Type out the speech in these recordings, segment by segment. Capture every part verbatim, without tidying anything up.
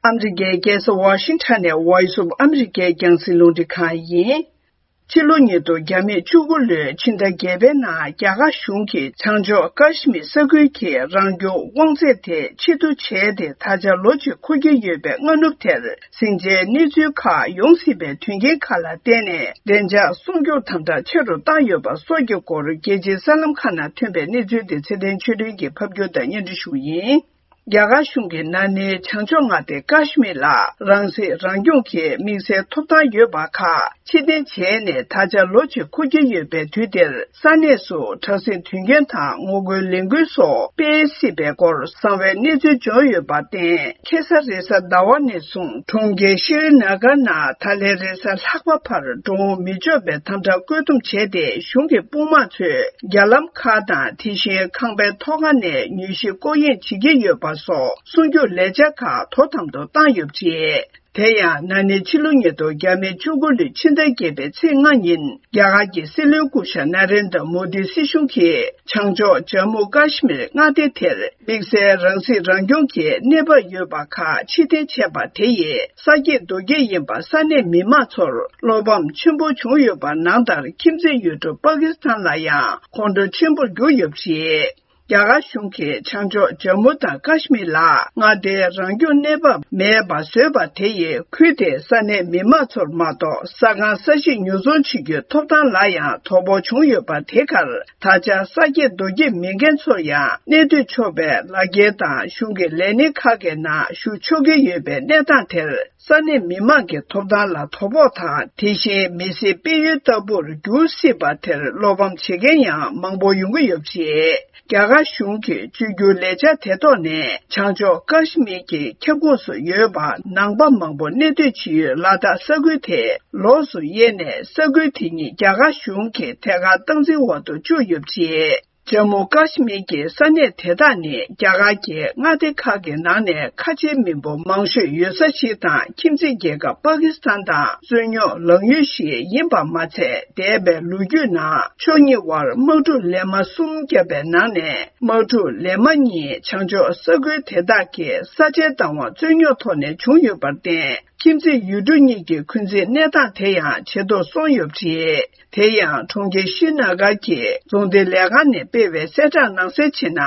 ཨ་མི་རི་ཀའི་རྒྱལ་ས་ཝ་ཤིང་ཊོན་ནས་Voice of America་རྒྱང་སྲིང་རླུང་འཕྲིན་ཁང་ཡིན། ཕྱི་ལོ་ཉིས་སྟོང་ཉེར་དགུ་ལོའི་ཕྱི་ཟླ་བརྒྱད་པའི་ནང་རྒྱ་གར་གཞུང་གིས་བྱང་ཕྱོགས་ཀ་ཤི་མིར་ས་ཁུལ་གྱི་རང་སྐྱོང་དབང་ཚད་དེ་ཕྱིར་བསྡུ་བྱས་ཏེ་ད་ཆ་ལོ་གཅིག་འཁོར་གྱི་ཡོད་པའི་སྔ་ནུབ་དེར་ཟིང་ཆའི་གནས་ཚུལ་ཁག་ཡོང་སྲིད་པའི་དོན་རྐྱེན་ཁག་ལ་བརྟེན་ནས། བདེ་འཇགས་སྲུང་སྐྱོབ་དམ་དྲག་ཆེ་རུ་བཏང་ཡོད་པ་སོགས་ཀྱི་སྐོར་རྒྱལ་སྤྱིའི་གསར་ལམ་ཁག་ནང་ཐོན་པའི་གནས་ཚུལ་དེ་ཚེ་བརྟན་ཆོས་སྒྲོན་གྱིས་ཕབ་སྒྱུར་དང་སྙན་སྒྲོན་ཞུ་བ་ཡིན། རྒྱ་གར་གཞུང་གིས་ན་ནིང་བྱང་ཕྱོགས་མངའ་སྡེ་ཀ་ཤི་མིར་ལ་རང་སྲིད་རང་སྐྱོང་གི་དམིགས་བསལ་ཐོབ་ཐང་ཡོད་པ་ཁག་ཕྱིར་འཐེན་བྱས་ནས་ད་ཆ་ལོ་གཅིག་འཁོར་གྱི་ཡོད་པའི་དུས་འདིར། ས་གནས་སུ་དྲག་ཟིང་དོན་རྐྱེན་དང་ངོ་རྒོལ་ལས་འགུལ་སོགས་སྤེལ་སྲིད་པའི་སྐོར་གསང་བའི་གནས་ཚུལ་འབྱོར་ཡོད་པར་བརྟེན། ཁ་སང་རེས་གཟའ་ཟླ་བ་ནས་བཟུང་གྲོང་ཁྱེར་ཤྲི་ན་གར་ནང་ད་ལན་རེས་གཟའ་ལྷག་པ་བར་འགྲོ་འོང་མི་ཆོག་པའི་དམ་དྲག་བཀོད་འདོམས་བྱས་ཏེ། གཞུང་གི་དཔུང་དམག་ཚོས་རྒྱ་ལམ་ཁག་དང་། དེ་བཞིན་ཁང་པའི་ཐོག་ཁ་ནས་མྱུལ་ཞིབ་སྐོར་གཡེང་བྱེད་ཀྱི་ཡོད་པ་སོགས་སྲུང་སྐྱོབ་ལས་འཆར་ཁག་དོ་དམ་དུ་བཏང་ཡོད་པ་རེད། དེ་ཡང་ན་ནིང་ཕྱི་ལོ་ཉིས་སྟོང་ཉེར་དགུ་ལོའི་ཕྱི་ཟླ་བརྒྱད་པའི་ཚེས་ལྔ་ཉིན། རྒྱ་གར་གྱི་སྲིད་བློན་སྐུ་ཞབས་ན་རེན་དྲ་མོ་དིའི་སྲིད་གཞུང་གིས་བྱང་ཕྱོགས་ཇམ་མུ་ཀ་ཤི་མིར་མངའ་སྡེ་དེར་དམིགས་བསལ་རང་སྲིད་རང་སྐྱོང་གི་གནས་བབ་ཡོད་པ་ཁག་ཕྱིར་འཐེན་བྱས་པ་དེ་ཡིས་ས་སྐྱེས་རྡོ་སྐྱེས་ཡིན་པ་ས་གནས་མི་མང་ཚོར་བློ་ཕམ་ཆེན་པོ་བྱུང་ཡོད་པ་ནང་ལྟར། ཁྱིམ་མཚེས་ཡུལ་གྲུ་པ་ཀི་སི་ཐན་ལ་ཡང་ཁོང་ཁྲོ་ཆེན་པོར་གྱུར་ཡོད་པ་རེད། རྒྱ་གར་གཞུང་གིས་བྱང་ཕྱོགས་ཇམ་མུ་དང་ཀ་ཤི་མིར་ལ་མངའ་སྡེའི་རང་སྐྱོང་གནས་བབ་མེད་པ་བཟོས་པ་དེ་ཡིས། ཁུལ་དེའི་ས་གནས་མི་མང་ཚོར་མ་གཏོགས་ས་ཁང་ས་གཞིས་ཉོ་ཚོང་བྱེད་རྒྱུའི་ཐོབ་ཐང་ལ་ཡང་དོ་ཕོག་བྱུང་ཡོད་པ། དེ་གར་ད་ཆ་ས་སྐྱེས་རྡོ་སྐྱེས་མེད་མཁན་ཚོར་ཡང་གནས་སྡོད་ཆོག་པའི་ལག་འཁྱེར་དང་། གཞུང་གི་ལས་སྣེ་ཁག་གི་ནང་ཞུགས་ཆོག་གི་ཡོད་པའི་གནས་སྟངས་དེར། ས་གནས་མི་མང་གི་ཐོབ་ཐང་ལ་དོ་ཕོག་དང་། དེ་བཞིན་མི་སེར་སྤེལ་ཡུལ་ལྟ་བུར་འགྱུར་སྲིད་པ་དེར་བློ་ཕམ་བྱེད་མཁན་ཡང་མང་པོ་ཡོང་གི་ཡོད་པ་རེད། རྒྱ་གར་གཞུང་གི་བཅོས་བསྒྱུར་ལས་འཆར་དེ་ཐོག་ནས། བྱང་ཕྱོགས་ཀ་ཤི་མིར་གྱི་ཁྱབ་ཁོངས་སུ་ཡོད་པ་ནང་པ་མང་པོ་གནས་སྡོད་བྱེད་ཡུལ་ལ་དྭགས་ས་ཁུལ་དེ་ལོགས་སུ་དབྱེ་ནས། ས་ཁུལ་དེ་ཉིད་རྒྱ་གར་གཞུང་གི་ཐད་ཀར་སྟངས་འཛིན་འོག་ཏུ་བཅུག་ཡོད་པ་རེད། ཇམ་མུ་ཀ་ཤི་མིར་གྱི་ས་གནས་དེ་དག་ནི་རྒྱ་གར་གྱི་མངའ་སྡེ་ཁག་གི་ནང་ནས་ཁ་ཆེའི་མི་འབོར་མང་ཤོས་ཡོད་ས་ཞིག་དང་། ཁྱིམ་མཚེས་རྒྱལ་ཁབ་པ་ཀི་སི་ཐན་དང་རྩོད་རྙོག་ལངས་ཡུལ་ཞིག་ཡིན་པ་མ་ཚད། འདས་པའི་ལོ་རྒྱུས་ནང་ཕྱོགས་གཉིས་དབར་དམག་འཁྲུག་ལན་མ་གསུམ་བརྒྱབ་པའི་ནང་ནས། དམག་འཁྲུག་ལན་མ་གཉིས་བྱང་ཕྱོགས་ས་ཁུལ་དེ་དག་གི་ས་ཆའི་བདག་དབང་རྩོད་རྙོག་ཐོག་ནས་བྱུང་ཡོད་པར་བརྟེན། ཁྱིམ་མཚེས་ཡུལ་གྲུ་གཉིས་ཀྱི་འཁོན་འཛིན་གནས་སྟངས་དེ་ཡང་ཇེ་མཐོར་སོང་ཡོད་པ་རེད། དེ་ཡང་གྲོང་ཁྱེར་ཤྲི་ན་གར་གྱི་རྫོང་སྡེ་ལས་ཁང་ནས་སྤེལ་བའི་གསལ་བསྒྲགས་ནང་གསལ་བྱས་ན།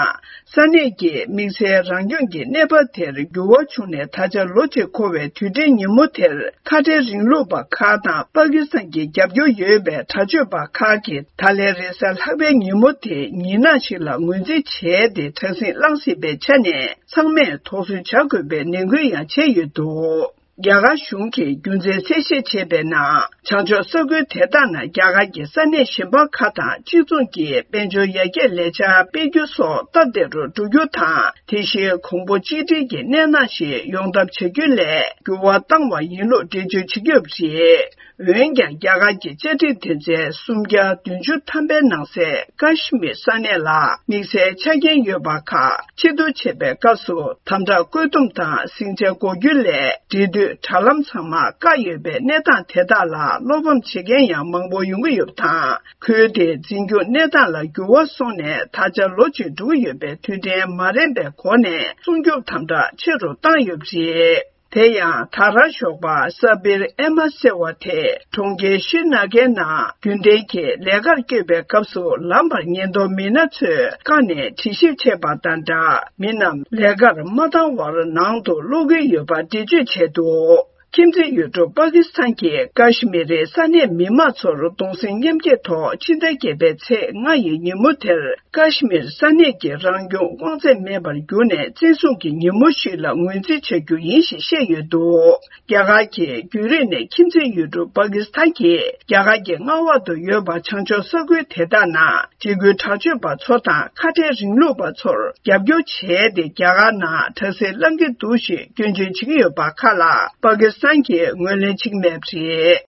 ས་གནས་ཀྱི་དམིགས་བསལ་རང་སྐྱོང་གི་གནས་བབ་དེར་འགྱུར་བ་བྱུང་ནས། ད་ཆ་ལོ་གཅིག་འཁོར་བའི་དུས་དྲན་ཉིན་མོ་དེར། ཁ་བྲལ་རིང་ལུགས་པ་ཁག་དང་པ་ཀི་སི་ཐན་གྱི་རྒྱབ་སྐྱོར་ཡོད་པའི་དྲག་སྤྱོད་པ་ཁག་གིས། ད་ལན་རེས་གཟའ་ལྷག་པའི་ཉིན་མོ་དེ་ཉིན་ནག་ཞིག་ལ་ངོས་འཛིན་བྱས་ཏེ། དྲག་ཟིང་བསླངས་སྲིད་པའི་ཆ་ནས། ཚང་མས་དོགས་ཟོན་བྱ་དགོས་པའི་ནན་སྐུལ་ཡང་བྱས་ཡོད་འདུག་རྒྱ་གར་གཞུང་གིས་རྒྱུ་མཚན་གསལ་བཤད་བྱས་པའི་ནང་། བྱང་ཕྱོགས་ས་ཁུལ་དེ་དག་ནང་རྒྱ་གར་གྱི་ས་གནས་གཞན་པ་ཁག་དང་གཅིག་མཚུངས་ཀྱི་དཔལ་འབྱོར་ཡར་རྒྱས་ལས་འཆར་སྤེལ་རྒྱུ་སོགས་སྟབས་བདེ་རུ་འགྲོ་རྒྱུ་དང་། དེ་བཞིན་གོང་བུ་གཅིག་སྒྲིལ་གྱི་གནས་སྟངས་ཤིག་ཡོང་ཐབས་བྱ་རྒྱུ་ལ་འགྱུར་བ་བཏང་བ་ཡིན་ལུགས་འགྲེལ་བརྗོད་བྱེད་ཀྱི་ཡོད་པ་རེད། འོན་ཀྱང་། རྒྱ་གར་གྱི་བཅའ་ཁྲིམས་དོན་ཚན་སུམ་བརྒྱ་བདུན་ཅུ་ཐམ་པའི་ནང་གསལ། ཀ་ཤི་མིར་ས་གནས་ལ་དམིགས་བསལ་ཆ་རྐྱེན་ཡོད་པ་ཁག་ཕྱིར་བསྡུ་བྱེད་པའི་སྐབས་སུ། དམ་དྲག་བཀོད་འདོམས་དང་ཟིང་ཆ་འགོག་རྒྱུ་ལས། འབྲེལ་མཐུད་དྲ་ལམ་ཚང་མ་བཀག་ཡོད་པའི་གནས་སྟངས་དེ་དག་ལ་བློ་ཕམ་བྱེད་མཁན་ཡང་མང་པོ་ཡོང་གི་ཡོད་པ་དང་། ཁུལ་དེའི་འཛིན་སྐྱོང་གནས་སྟངས་ལ་འགྱུར་བ་སོང་ནས། ད་ཆ་ལོ་གཅིག་འགྲོ་གི་ཡོད་པའི་དུས་དྲན་མ་རན་པའི་སྒོ་ནས། སྲུང་སྐྱོབ་དམ་དྲག་ཆེ་རུ་བཏང་ཡོད་པ་རེད། དེ་ཡང་། ད་རང་ཞོགས་པ་ས་བིར་ཨེ་མ་ཟེར་བ་དེ། གྲོང་ཁྱེར་ཤྲི་ན་གའི་ནང་རྒྱུན་ལྡན་གྱི་ལས་ཀར་བསྐྱོད་པའི་སྐབས་སུ། ལམ་བར་ཉེན་རྟོག་མི་སྣ་ཚོས་བཀག་ནས་དྲི་ཞིབ་བྱས་པ་དང་སྦྲགས། མི་རྣམས་ལས་ཀར་མ་བཏང་བར་ནང་དུ་སློག་གི་ཡོད་པ་འགྲེལ་བརྗོད་བྱས་འདུག་ཁྱིམ་མཚེས་ཡུལ་གྲུ་པ་ཀི་སི་ཐན་གྱིས་ཀ་ཤི་མིར་རི་ས་གནས་མི་མང་ཚོར་གདུང་སེམས་མཉམ་སྐྱེད་ཐོག་ཕྱི་ཟླ་བརྒྱད་པའི་ཚེས་ལྔ་ཡི་ཉིན་མོ་དེར། ཀ་ཤི་མིར་ས་གནས་ཀྱི་རང་སྐྱོང་དབང་ཚད་མེད་པར་གྱུར་ནས། བཙན་བཟུང་གི་ཉིན་མོ་ཞིག་ལ་ངོས་འཛིན་བྱ་རྒྱུ་ཡིན་ཞེས་བཤད་ཡོད་འདུག་རྒྱ་གར་གྱིས་རྒྱུན་རིང་ནས་ཁྱིམ་མཚེས་ཡུལ་གྲུ་པ་ཀི་སི་ཐན་གྱིས་རྒྱ་གར་གྱི་མངའ་འོག་ཏུ་ཡོད་པ་བྱང་ཕྱོགས་ས་ཁུལ་དེ་དག་ནང་འཇིགས་སྐུལ་དྲག་སྤྱོད་པ་ཚོ་དང་ཁ་བྲལ་རིང་ལུགས་པ་ཚོར་རྒྱབ་སྐྱོར་བྱས་ཏེ། རྒྱ་གར་ནང་དྲག་ཟིང་བསླང་གི་འདུག་ཞེས་སྐྱོན་བརྗོད་བྱེད་ཀྱི་ཡོད་པ་ཁག་ལ་པ་ཀི་སི་ཐན་གྱིས་ངོས་ལེན་བྱེད་ཀྱི་མེད་པ་རེད།